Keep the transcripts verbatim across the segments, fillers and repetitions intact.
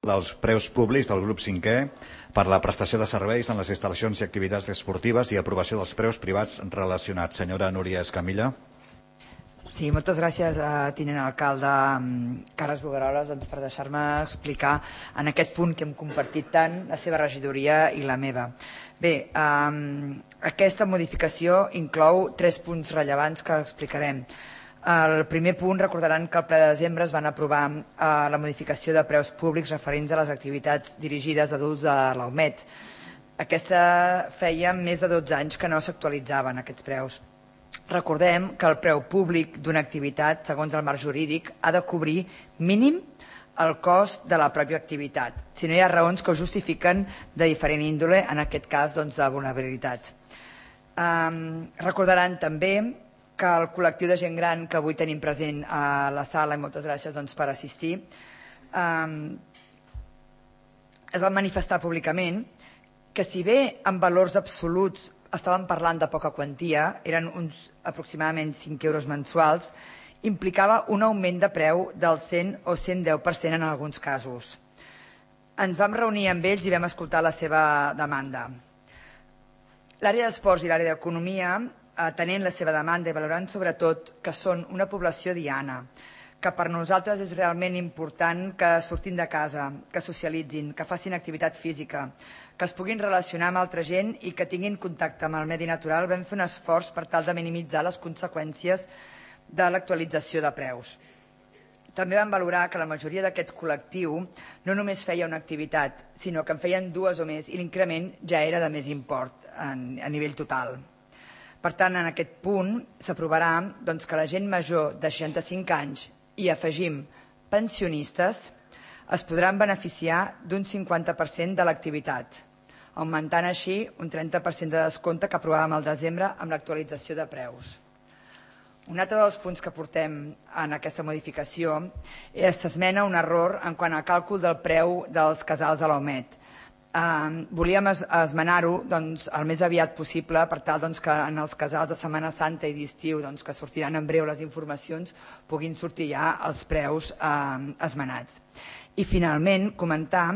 dels preus públics del grup cinquè per la prestació de serveis en les instal·lacions i activitats esportives i aprovació dels preus privats relacionats. Senyora Núria Escamilla. Sí, moltes gràcies, a tinent alcalde Carles Bogaroles, doncs, per deixar-me explicar en aquest punt que hem compartit tant la seva regidoria i la meva. Bé, eh, aquesta modificació inclou tres punts rellevants que explicarem. El primer punt, recordaran que al ple de desembre es van aprovar eh, la modificació de preus públics referents a les activitats dirigides a adults de l'Aumet. Aquesta feia més de dotze anys que no s'actualitzaven aquests preus. Recordem que el preu públic d'una activitat, segons el marc jurídic, ha de cobrir mínim el cost de la pròpia activitat, si no hi ha raons que ho justifiquen de diferent índole, en aquest cas doncs, de vulnerabilitat. Um, recordaran també que el col·lectiu de gent gran que avui tenim present a la sala, i moltes gràcies doncs, per assistir, um, es va manifestar públicament que si bé en valors absoluts estàvem parlant de poca quantia, eren uns aproximadament cinc euros mensuals, implicava un augment de preu del cent o cent deu per cent en alguns casos. Ens vam reunir amb ells i vam escoltar la seva demanda. L'àrea d'esports i l'àrea d'economia, atenent la seva demanda i valorant sobretot que són una població diana, que per nosaltres és realment important que surtin de casa, que socialitzin, que facin activitat física, que es puguin relacionar amb altra gent i que tinguin contacte amb el medi natural, vam fer un esforç per tal de minimitzar les conseqüències de l'actualització de preus. També vam valorar que la majoria d'aquest col·lectiu no només feia una activitat, sinó que en feien dues o més i l'increment ja era de més import a nivell total. Per tant, en aquest punt s'aprovarà doncs, que la gent major de seixanta-cinc anys i afegim pensionistes es podran beneficiar d'un cinquanta per cent de l'activitat, augmentant així un trenta per cent de descompte que aprovàvem al desembre amb l'actualització de preus. Un altre dels punts que portem en aquesta modificació és s'esmena un error en quant al càlcul del preu dels casals a l'Aumet. Eh, volíem es, esmenar-ho doncs, el més aviat possible per tal doncs, que en els casals de Setmana Santa i d'estiu, doncs, que sortiran en breu les informacions, puguin sortir ja els preus eh, esmenats. I finalment comentar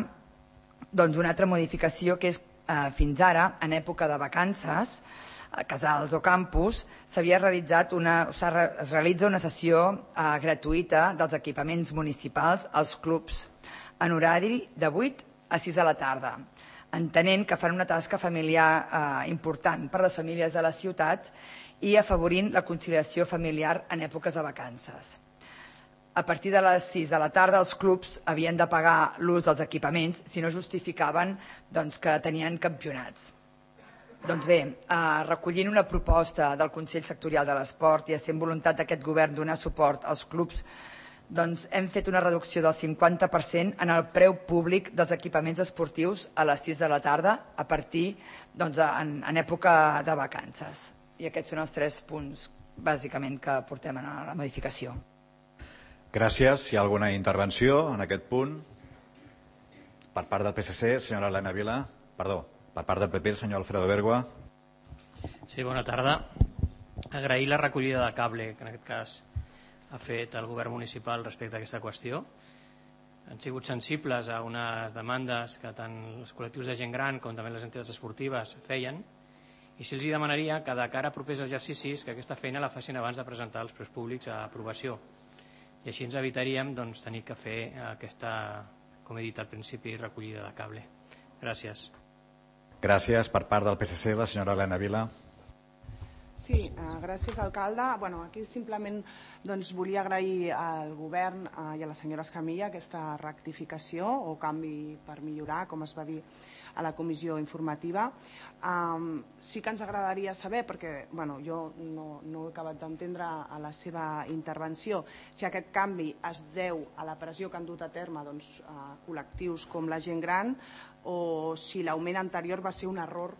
doncs, una altra modificació que és eh, fins ara, en època de vacances, a casals o campus, s'havia realitzat una, es realitza una sessió eh, gratuïta dels equipaments municipals als clubs en horari de vuit a sis de la tarda, entenent que fan una tasca familiar eh, important per a les famílies de la ciutat i afavorint la conciliació familiar en èpoques de vacances. A partir de les sis de la tarda els clubs havien de pagar l'ús dels equipaments si no justificaven doncs, que tenien campionats. Doncs bé, eh, recollint una proposta del Consell Sectorial de l'Esport i essent voluntat d'aquest govern donar suport als clubs, doncs hem fet una reducció del cinquanta per cent en el preu públic dels equipaments esportius a les sis de la tarda a partir doncs, en, en època de vacances. I aquests són els tres punts bàsicament que portem a la modificació. Gràcies. Hi ha alguna intervenció en aquest punt? Per part del P S C, senyora Elena Vila. Perdó, per part del P P, el senyor Alfredo Bergua. Sí, bona tarda. Agrair la recollida de cable, que en aquest cas ha fet el govern municipal respecte a aquesta qüestió. Han sigut sensibles a unes demandes que tant els col·lectius de gent gran com també les entitats esportives feien, i si els demanaria que de cara a propers exercicis que aquesta feina la facin abans de presentar els preus públics a aprovació. I així ens evitaríem doncs, tenir que fer aquesta, com he dit al principi, recollida de cable. Gràcies. Gràcies. Per part del P S C, la senyora Elena Vila. Sí, eh, gràcies, alcalde. Bueno, aquí simplement doncs, volia agrair al govern eh, i a la senyora Escamilla aquesta rectificació o canvi per millorar, com es va dir a la comissió informativa. Um, sí que ens agradaria saber, perquè bueno, jo no, no he acabat d'entendre a la seva intervenció, si aquest canvi es deu a la pressió que han dut a terme doncs, a col·lectius com la gent gran o si l'augment anterior va ser un error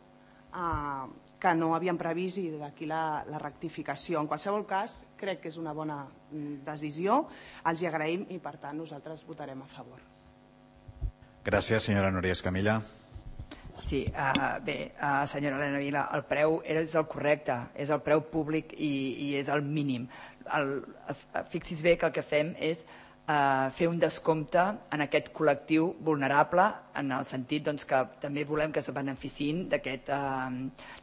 uh, que no havíem previst i d'aquí la, la rectificació. En qualsevol cas, crec que és una bona decisió, els hi agraïm i per tant nosaltres votarem a favor. Gràcies, senyora Núria Escamilla. Sí, uh, bé, uh, senyora Elena Vila, el preu és el correcte, és el preu públic i, i és el mínim. El, fixis bé que el que fem és eh, fer un descompte en aquest col·lectiu vulnerable, en el sentit doncs, que també volem que es beneficiïn d'aquesta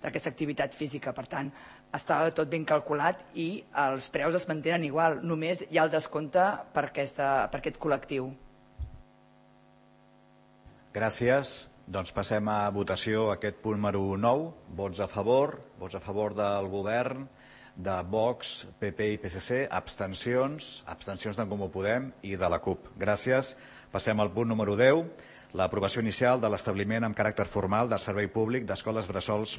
aquest, eh, activitat física. Per tant, està tot ben calculat i els preus es mantenen igual, només hi ha el descompte per, aquesta, per aquest col·lectiu. Gràcies. Doncs passem a votació aquest punt número nou. Vots a favor, vots a favor del govern, de Vox, P P i P S C, abstencions, abstencions d'en Comú Podem i de la CUP. Gràcies. Passem al punt número deu, l'aprovació inicial de l'establiment amb caràcter formal de servei públic d'escoles bressols municipals.